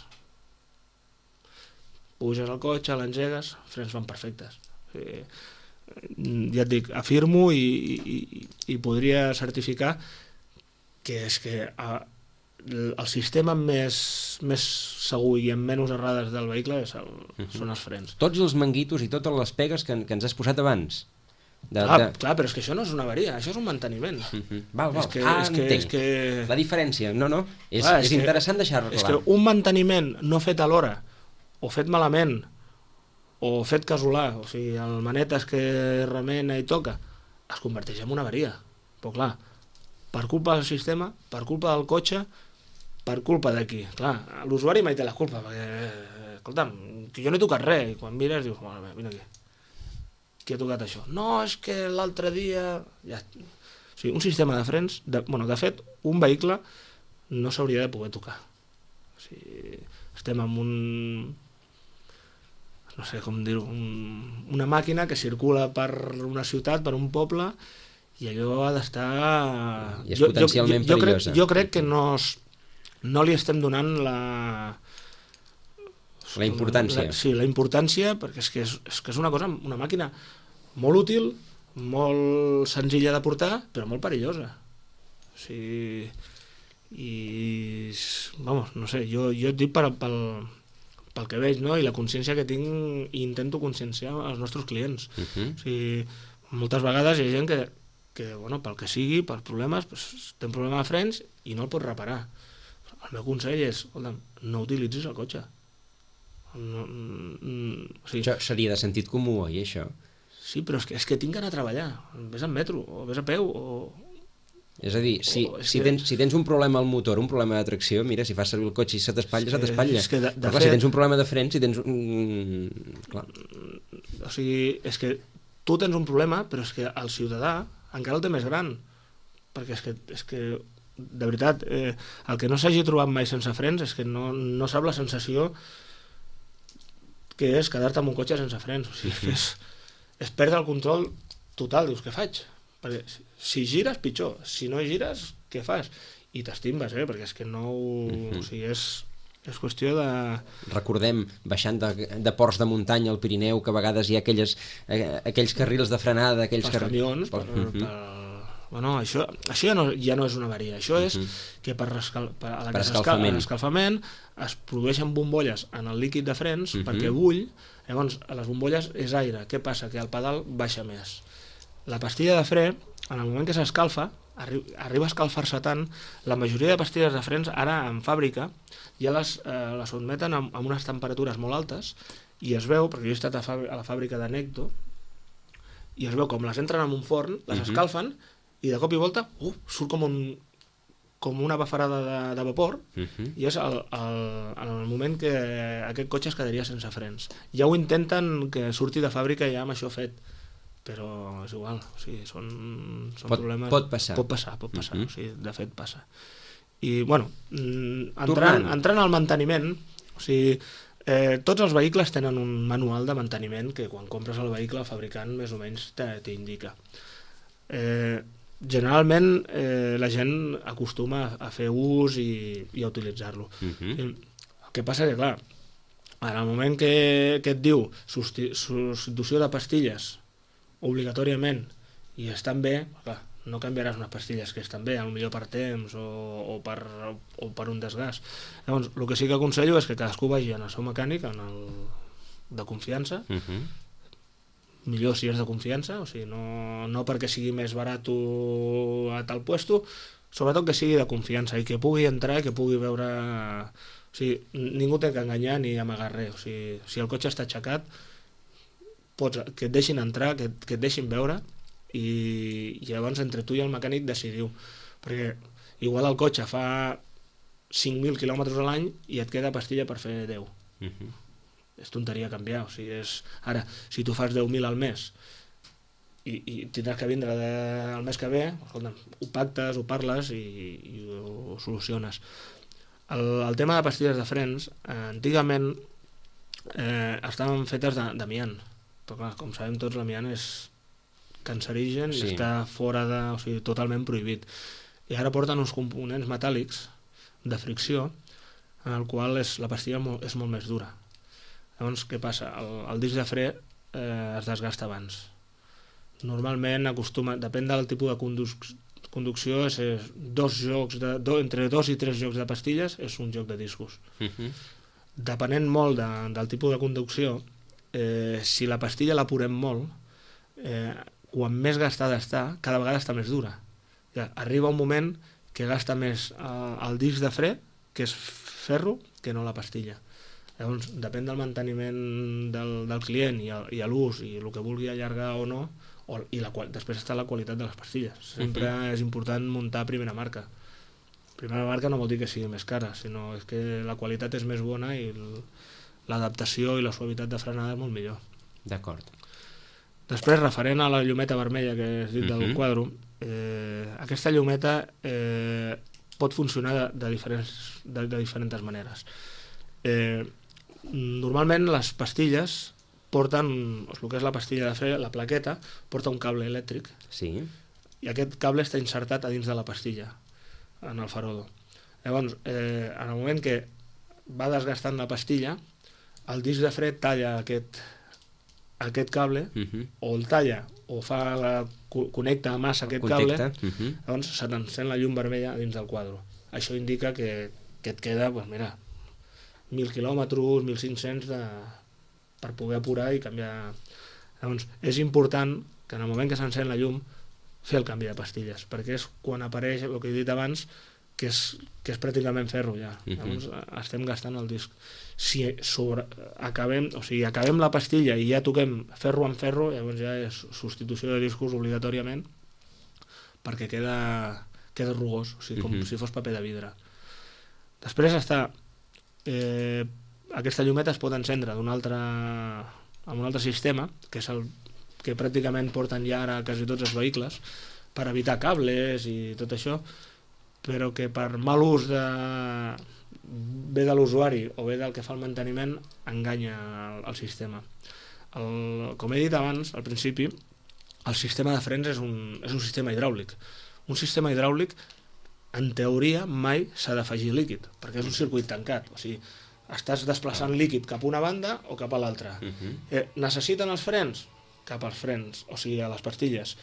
Puges al cotxe, l'engegues, frens van perfectes. O sigui, ja et dic, afirmo i, i, i podria certificar que és que a, el sistema més, més segur i amb menys errades del vehicle és el, uh-huh. són els frens. Tots els manguitos i totes les pegues que, que ens has posat abans. De, clar, de... clar, però és que això no és una avaria, això és un manteniment. Uh-huh. Val, val. És que, ah, és que, entenc. És que... La diferència, no, no, és, clar, és, és que, interessant deixar-ho clar. És que un manteniment no fet a l'hora, o fet malament, o fet casolà, o sigui, el manetes que remena i toca, es converteix en una avaria. Però clar, per culpa del sistema, per culpa del cotxe, per culpa d'aquí. Clar, l'usuari mai té la culpa, perquè, escolta'm, que jo no he tocat res, i quan mires dius, bueno, vine aquí, qui ha tocat això? No, és que l'altre dia... Ja... O sigui, un sistema de frens, de, bueno, de fet, un vehicle no s'hauria de poder tocar. O sigui, estem en un... no sé com dir-ho, un, una màquina que circula per una ciutat, per un poble, i allò ha d'estar... I és jo, potencialment jo, jo, jo perillosa. Crec, jo crec que no, es, no li estem donant la... La importància. La, sí, la importància, perquè és que és, és que és una cosa, una màquina molt útil, molt senzilla de portar, però molt perillosa. O sigui... I... Vamos, no sé, jo, jo et dic per, pel, pel que veig, no? I la consciència que tinc i intento conscienciar els nostres clients. Uh-huh. O sigui, moltes vegades hi ha gent que, que bueno, pel que sigui, per problemes, pues, té un problema de frens i no el pot reparar. El meu consell és, escolta, no utilitzis el cotxe. No, mm, o sigui, això seria de sentit comú, oi, això? Sí, però és que, és que tinc que anar a treballar. Vés en metro, o vés a peu, o... És a dir, si, oh, si, que... tens, si tens un problema al motor, un problema de tracció, mira, si fas servir el cotxe i se t'espatlla, se t'espatlla. És que de, de Però clar, fet... si tens un problema de frens, si tens un... Clar. O sigui, és que tu tens un problema, però és que el ciutadà encara el té més gran. Perquè és que, és que de veritat, eh, el que no s'hagi trobat mai sense frens és que no, no sap la sensació que és quedar-te amb un cotxe sense frens. O sigui, que és, és perdre el control total. Dius, què faig? Perquè si gires, pitjor. Si no gires, què fas? I t'estimbes, eh? Perquè és que no... Uh-huh. O sigui, és, és qüestió de... Recordem, baixant de, de ports de muntanya al Pirineu, que a vegades hi ha aquelles, eh, aquells carrils de frenada, aquells pels carrils... camions, per, uh-huh. per... Bueno, això, això ja, no, ja no és una avaria. Això és uh-huh. que per, rescal, per, a la per que escalfament. escalfament es produeixen bombolles en el líquid de frens uh-huh. perquè bull. Llavors, a les bombolles és aire. Què passa? Que el pedal baixa més. La pastilla de fre, en el moment que s'escalfa, arri arriba a escalfar-se tant, la majoria de pastilles de frens ara en fàbrica ja les, eh, les sotmeten amb, amb unes temperatures molt altes i es veu, perquè jo he estat a, a la fàbrica de Necto, i es veu com les entren en un forn, les uh-huh. escalfen, i de cop i volta uh, surt com, un, com una bafarada de, de vapor uh-huh. i és el, el, en el moment que aquest cotxe es quedaria sense frens. Ja ho intenten que surti de fàbrica ja amb això fet, però és igual, o sigui, són, són pot, problemes... Pot passar. Pot passar, pot passar, uh-huh. o sigui, de fet passa. I, bueno, entrant, Tornant. entrant al manteniment, o sigui, eh, tots els vehicles tenen un manual de manteniment que quan compres el vehicle el fabricant més o menys t'indica. Eh, generalment eh, la gent acostuma a fer ús i, i a utilitzar-lo. Uh-huh. El que passa que, clar, en el moment que, que et diu substitució de pastilles obligatòriament i estan bé, clar, no canviaràs unes pastilles que estan bé, potser per temps o, o, per, o per un desgast. Llavors, el que sí que aconsello és que cadascú vagi en el seu mecànic, en el de confiança, uh-huh. millor si és de confiança, o sigui, no, no perquè sigui més barat a tal puesto, sobretot que sigui de confiança i que pugui entrar i que pugui veure... O sigui, ningú té que enganyar ni amagar res. O sigui, si el cotxe està aixecat, pots, que et deixin entrar, que, que et deixin veure i, i llavors entre tu i el mecànic decidiu. Perquè igual el cotxe fa cinc mil quilòmetres a l'any i et queda pastilla per fer deu. Uh-huh. És tonteria canviar, o sigui, és... Ara, si tu fas deu mil al mes i, i tindràs que vindre de, el mes que ve, escolta, ho pactes, ho parles i, i ho soluciones. El, el tema de pastilles de frens, eh, antigament eh, estaven fetes d'amiant, però clar, com sabem tots, l'amiant és cancerigen sí. i està fora de... o sigui, totalment prohibit. I ara porten uns components metàl·lics de fricció en el qual és, la pastilla molt, és molt més dura. Llavors, què passa? El, el disc de fre eh, es desgasta abans. Normalment acostuma, depèn del tipus de conduc conducció, és, és dos jocs de, do, entre dos i tres jocs de pastilles és un joc de discos. Uh-huh. Depenent molt de, del tipus de conducció, eh, si la pastilla l'apurem molt, eh, quan més gastada està, cada vegada està més dura. Ja, arriba un moment que gasta més eh, el disc de fre, que és ferro, que no la pastilla. Llavors, depèn del manteniment del, del client i, el, i l'ús i el que vulgui allargar o no, o, i la, després està la qualitat de les pastilles. Sempre uh-huh. és important muntar primera marca. Primera marca no vol dir que sigui més cara, sinó és que la qualitat és més bona i l'adaptació i la suavitat de frenada és molt millor. D'acord. Després, referent a la llumeta vermella que has dit uh-huh. del quadro, eh, aquesta llumeta eh, pot funcionar de, de, diferents, de, de diferents maneres. Eh, normalment les pastilles porten, el que és la pastilla de fre, la plaqueta, porta un cable elèctric. Sí. i aquest cable està insertat a dins de la pastilla, en el farodo. Llavors, eh, en el moment que va desgastant la pastilla, el disc de fre talla aquest, aquest cable, Uh-huh. o el talla, o fa la, connecta massa aquest Contacte. cable, Uh-huh. llavors se t'encén la llum vermella dins del quadre. Això indica que, que et queda, pues mira, mil quilòmetres, mil cinc-cents de, per poder apurar i canviar. Llavors, és important que en el moment que s'encén la llum fer el canvi de pastilles, perquè és quan apareix el que he dit abans, que és, que és pràcticament ferro ja. Uh-huh. Llavors estem gastant el disc. Si sobre, acabem, o sigui, acabem la pastilla i ja toquem ferro amb ferro, llavors ja és substitució de discos obligatòriament, perquè queda, queda rugós, o sigui, com Uh-huh. si fos paper de vidre. Després està eh, aquesta llumeta es pot encendre d'un altre, amb un altre sistema, que és el que pràcticament porten ja ara quasi tots els vehicles, per evitar cables i tot això, però que per mal ús de, bé de l'usuari o bé del que fa el manteniment enganya el, el sistema. El, com he dit abans, al principi, el sistema de frens és un, és un sistema hidràulic. Un sistema hidràulic, en teoria, mai s'ha d'afegir líquid, perquè és un circuit tancat. O sigui, estàs desplaçant líquid cap a una banda o cap a l'altra. Uh-huh. Eh, necessiten els frens? Cap als frens, o sigui, a les pastilles.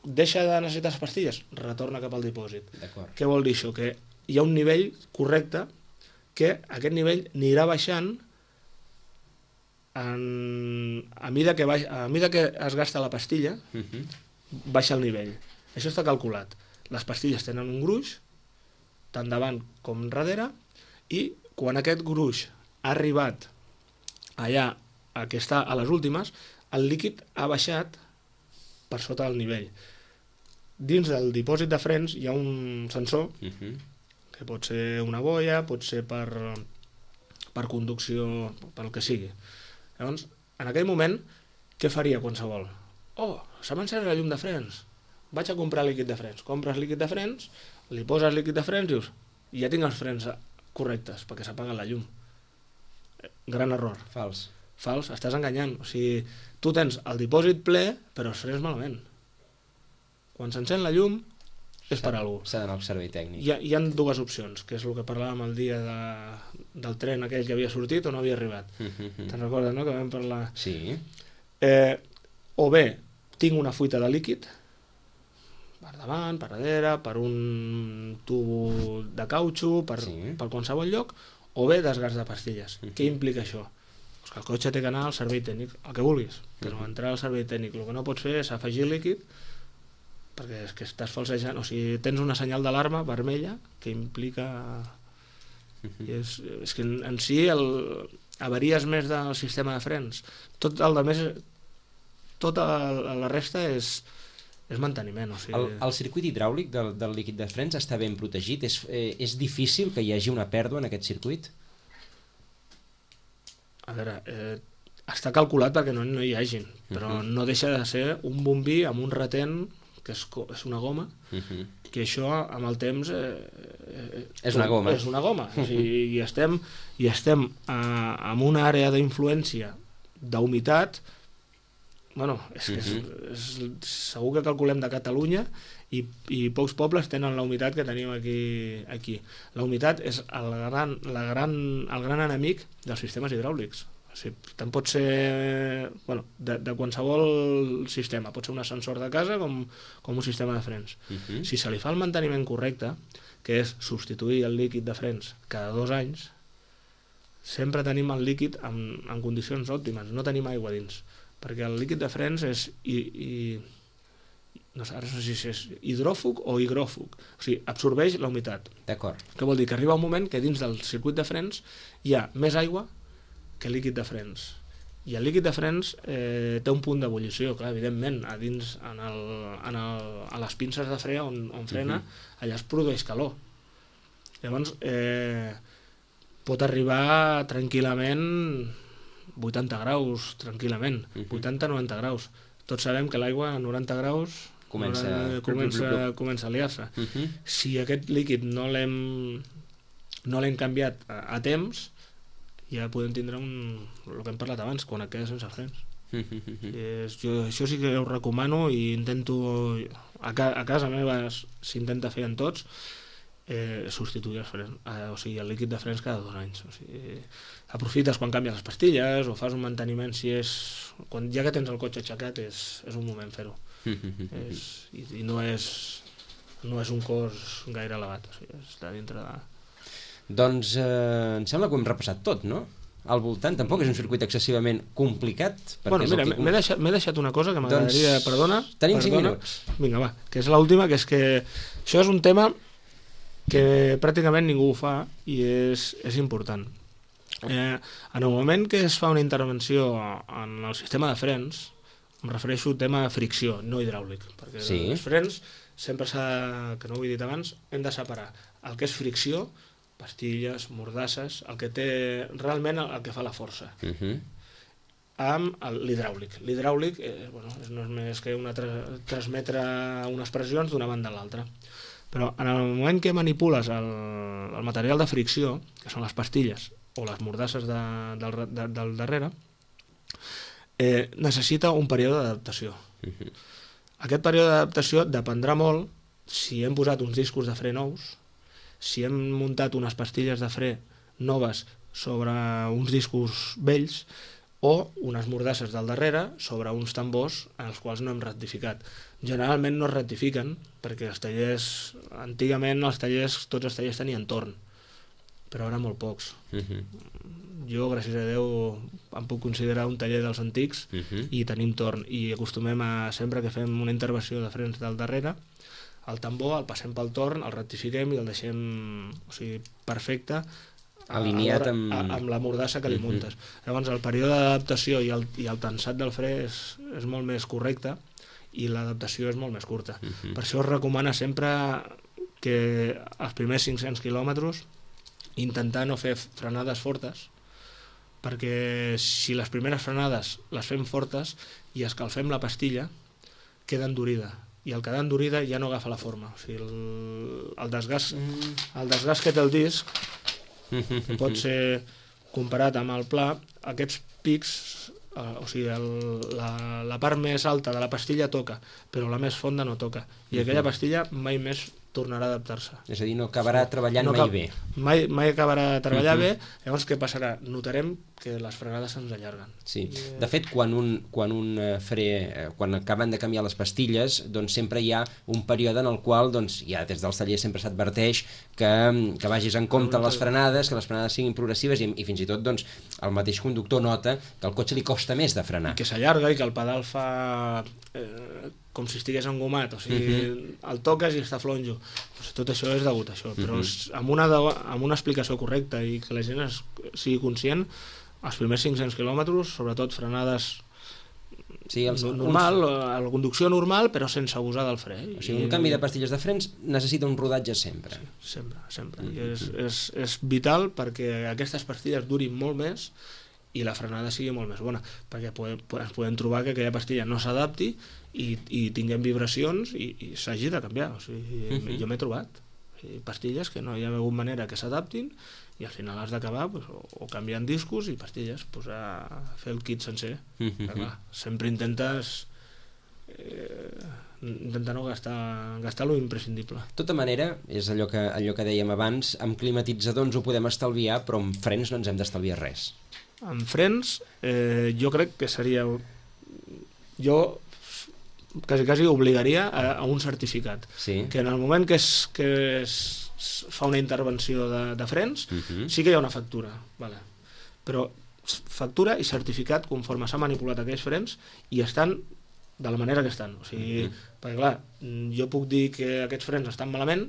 Deixa de necessitar les pastilles? Retorna cap al dipòsit. D'acord. Què vol dir això? Que hi ha un nivell correcte que aquest nivell anirà baixant en, a, mida que baix, a mida que es gasta la pastilla, Uh-huh. baixa el nivell. Això està calculat. Les pastilles tenen un gruix, tant davant com darrere, i quan aquest gruix ha arribat allà a que està a les últimes, el líquid ha baixat per sota del nivell. Dins del dipòsit de frens hi ha un sensor, Uh-huh. que pot ser una boia, pot ser per, per conducció, pel que sigui. Llavors, en aquell moment, què faria qualsevol? Oh, s'ha encès la llum de frens. Vaig a comprar líquid de frens. Compres líquid de frens, li poses líquid de frens, dius, ja tinc els frens correctes, perquè s'apaga la llum. Gran error. Fals. Fals, estàs enganyant. O sigui, tu tens el dipòsit ple, però els frens malament. Quan s'encén la llum, és per alguna cosa. S'ha d'anar al servei tècnic. Hi ha, hi ha dues opcions, que és el que parlàvem el dia de, del tren aquell que havia sortit o no havia arribat. Uh-huh. Te'n recordes, no?, que vam parlar? Sí. Eh, o bé, tinc una fuita de líquid, per davant, per darrere, per un tubo de cautxo, per, Sí. per qualsevol lloc, o bé desgast de pastilles. Uh-huh. Què implica això? Pues que el cotxe té que anar al servei tècnic, el que vulguis, però Uh-huh. entrar al servei tècnic. El que no pots fer és afegir líquid, perquè és que estàs falsejant, o sigui, tens una senyal d'alarma vermella que implica... Uh-huh. I és, és que en, en si el, avaries més del sistema de frens. Tot el de més, tota la, la resta és, és manteniment. O sigui... El, el circuit hidràulic del, del líquid de frens està ben protegit? És, eh, és difícil que hi hagi una pèrdua en aquest circuit? A veure, eh, està calculat perquè no, no hi hagin, però Uh-huh. no deixa de ser un bombí amb un retent que és, co- és una goma, Uh-huh. que això amb el temps eh, eh, És una goma. és una goma. O sigui, i estem, i estem eh, en una àrea d'influència d'humitat, bueno, és que és, és, segur que calculem de Catalunya i, i pocs pobles tenen la humitat que tenim aquí. aquí. La humitat és el gran, la gran, el gran enemic dels sistemes hidràulics. O sigui, tant pot ser bueno, de, de qualsevol sistema, pot ser un ascensor de casa com, com un sistema de frens. Uh-huh. Si se li fa el manteniment correcte, que és substituir el líquid de frens cada dos anys, sempre tenim el líquid en, en condicions òptimes, no tenim aigua dins, perquè el líquid de frens és i, i, no sé, ara no sé si és hidròfug o higròfug, o sigui, absorbeix la humitat. D'acord. Què vol dir? Que arriba un moment que dins del circuit de frens hi ha més aigua que líquid de frens. I el líquid de frens eh, té un punt d'ebullició, clar, evidentment, a dins, en el, en el, a les pinces de fre on, on frena, uh-huh. allà es produeix calor. Llavors, eh, pot arribar tranquil·lament vuitanta graus, tranquil·lament, uh-huh. vuitanta a noranta graus. Tots sabem que l'aigua a noranta graus Comença- noranta, comença, comença a liar-se. Uh-huh. Si aquest líquid no l'hem no l'hem canviat a, a temps, ja podem tindre un, el que hem parlat abans, quan et quedes sense frens. és, jo, això sí que ho recomano i intento, a, ca, a casa meva s'intenta fer en tots, eh, substituir els frens, eh, o sigui, el líquid de frens cada dos anys. O sigui, aprofites quan canvies les pastilles o fas un manteniment, si és, quan, ja que tens el cotxe aixecat és, és un moment fer-ho. és, i, i no és no és un cost gaire elevat, o sigui, està dintre de... Doncs eh, em sembla que ho hem repassat tot, no? Al voltant, tampoc és un circuit excessivament complicat. Bueno, mira, que... m'he deixat, deixat una cosa que m'agradaria... Doncs... Perdona. Tenim cinc perdona. minuts. Vinga, va, que és l'última, que és que això és un tema que pràcticament ningú ho fa i és, és important. Eh, en el moment que es fa una intervenció en el sistema de frens, em refereixo al tema de fricció, no hidràulic, perquè sí. Els frens, sempre s'ha, que no ho he dit abans, hem de separar el que és fricció, pastilles, mordasses, el que té realment el que fa la força, uh-huh. amb l'hidràulic. L'hidràulic eh, bueno, no és més que una tra transmetre unes pressions d'una banda a l'altra. Però en el moment que manipules el, el material de fricció, que són les pastilles o les mordasses de, del, de, del darrere, eh, necessita un període d'adaptació. Uh-huh. Aquest període d'adaptació dependrà molt si hem posat uns discos de fre nous, si hem muntat unes pastilles de fre noves sobre uns discos vells o unes mordasses del darrere sobre uns tambors en els quals no hem rectificat. Generalment no es rectifiquen perquè els tallers, antigament els tallers, tots els tallers tenien torn, però ara molt pocs. Uh-huh. Jo, gràcies a Déu, em puc considerar un taller dels antics uh-huh. i tenim torn, i acostumem a, sempre que fem una intervenció de frens del darrere, el tambor el passem pel torn, el rectifiquem i el deixem, o sigui, perfecte, alineat amb... amb la mordassa que li uh-huh. muntes. Llavors el període d'adaptació i, el, i el tensat del fre és, és molt més correcte i l'adaptació és molt més curta. Uh-huh. Per això es recomana sempre que els primers cinc-cents quilòmetres intentar no fer frenades fortes, perquè si les primeres frenades les fem fortes i escalfem la pastilla, queda endurida, i al quedar endurida ja no agafa la forma. O sigui, el, el, desgast, el desgast que té el disc pot ser comparat amb el pla, aquests pics, eh, o sigui, el, la, la part més alta de la pastilla toca, però la més fonda no toca, i aquella pastilla mai més tornarà a adaptar-se. És a dir, no acabarà treballant no mai bé. Mai, mai acabarà de treballar uh-huh. bé, llavors què passarà? Notarem que les frenades se'ns allarguen. Sí, de fet, quan un, quan un fre, quan acaben de canviar les pastilles, doncs sempre hi ha un període en el qual, doncs, ja des dels tallers sempre s'adverteix que, que vagis en compte les frenades, que les frenades siguin progressives i, i fins i tot, doncs, el mateix conductor nota que al cotxe li costa més de frenar. I que s'allarga i que el pedal fa... Eh, com si estigués engomat, o sigui, uh-huh. el toques i està flonjo. Pues tot això és degut a això, però uh-huh. amb, una de, amb una explicació correcta i que la gent es, sigui conscient, els primers cinc-cents quilòmetres, sobretot frenades sí, els, normal, uns... la conducció normal, però sense abusar del fre. O sigui, un I, canvi de pastilles de frens necessita un rodatge sempre. Sí, sempre, sempre. Uh-huh. I és, és, és vital perquè aquestes pastilles durin molt més i la frenada sigui molt més bona, perquè podem, ens podem trobar que aquella pastilla no s'adapti i, i tinguem vibracions i, i s'hagi de canviar. O sigui, uh-huh. jo m'he trobat o sigui, pastilles que no hi ha hagut manera que s'adaptin i al final has d'acabar pues, o, o canviant discos i pastilles, pues, a fer el kit sencer. Uh-huh. Clar, sempre intentes eh, intentar no gastar, gastar lo imprescindible. De tota manera, és allò que, allò que dèiem abans, amb climatitzador ens ho podem estalviar, però amb frens no ens hem d'estalviar res. Amb frens, eh, jo crec que seria... Jo quasi, quasi obligaria a, a un certificat. Sí. Que en el moment que es, que es fa una intervenció de, de frens, uh-huh. sí que hi ha una factura. Vale. Però factura i certificat conforme s'ha manipulat aquells frens i estan de la manera que estan. O sigui, uh-huh. perquè clar, jo puc dir que aquests frens estan malament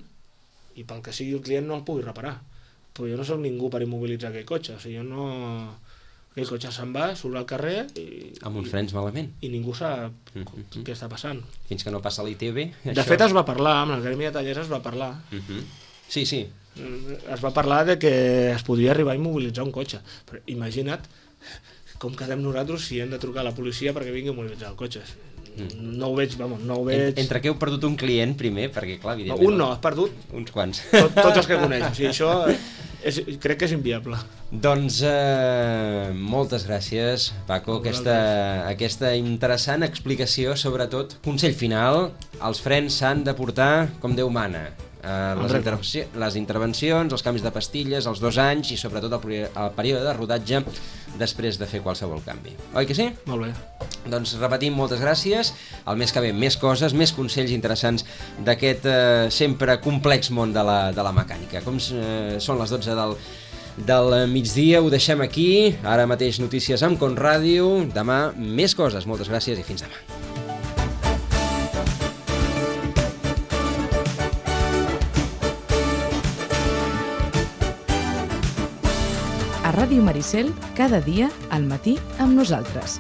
i pel que sigui el client no el pugui reparar. Però jo no soc ningú per immobilitzar aquell cotxe. O sigui, jo no... Aquell cotxe se'n va, surt al carrer i... Amb uns frens malament. I ningú sap uh-huh. què està passant. Fins que no passa l'I T B... De això... fet, es va parlar, amb el gremi de tallers es va parlar. Uh-huh. Sí, sí. Es va parlar de que es podria arribar a immobilitzar un cotxe. Però imagina't com quedem nosaltres si hem de trucar a la policia perquè vingui a immobilitzar el cotxe. No ho veig, vamos, no ho veig... Entre que heu perdut un client primer, perquè clar, evidentment... No, un no, has perdut... Uns quants. Tot, tots els que coneix. O sigui, això és, crec que és inviable. Doncs eh, moltes gràcies, Paco, aquesta, aquesta interessant explicació, sobretot, consell final, els frens s'han de portar com Déu mana. Uh, les, intervenci les intervencions, els canvis de pastilles, els dos anys i sobretot el, el període de rodatge després de fer qualsevol canvi. Oi que sí? Molt bé. Doncs repetim, moltes gràcies. El mes que ve més coses, més consells interessants d'aquest eh, sempre complex món de la, de la mecànica. Com eh, són les dotze del, del migdia, ho deixem aquí. Ara mateix notícies amb Conràdio. Demà més coses. Moltes gràcies i fins demà. A Ràdio Maricel, cada dia al matí amb nosaltres.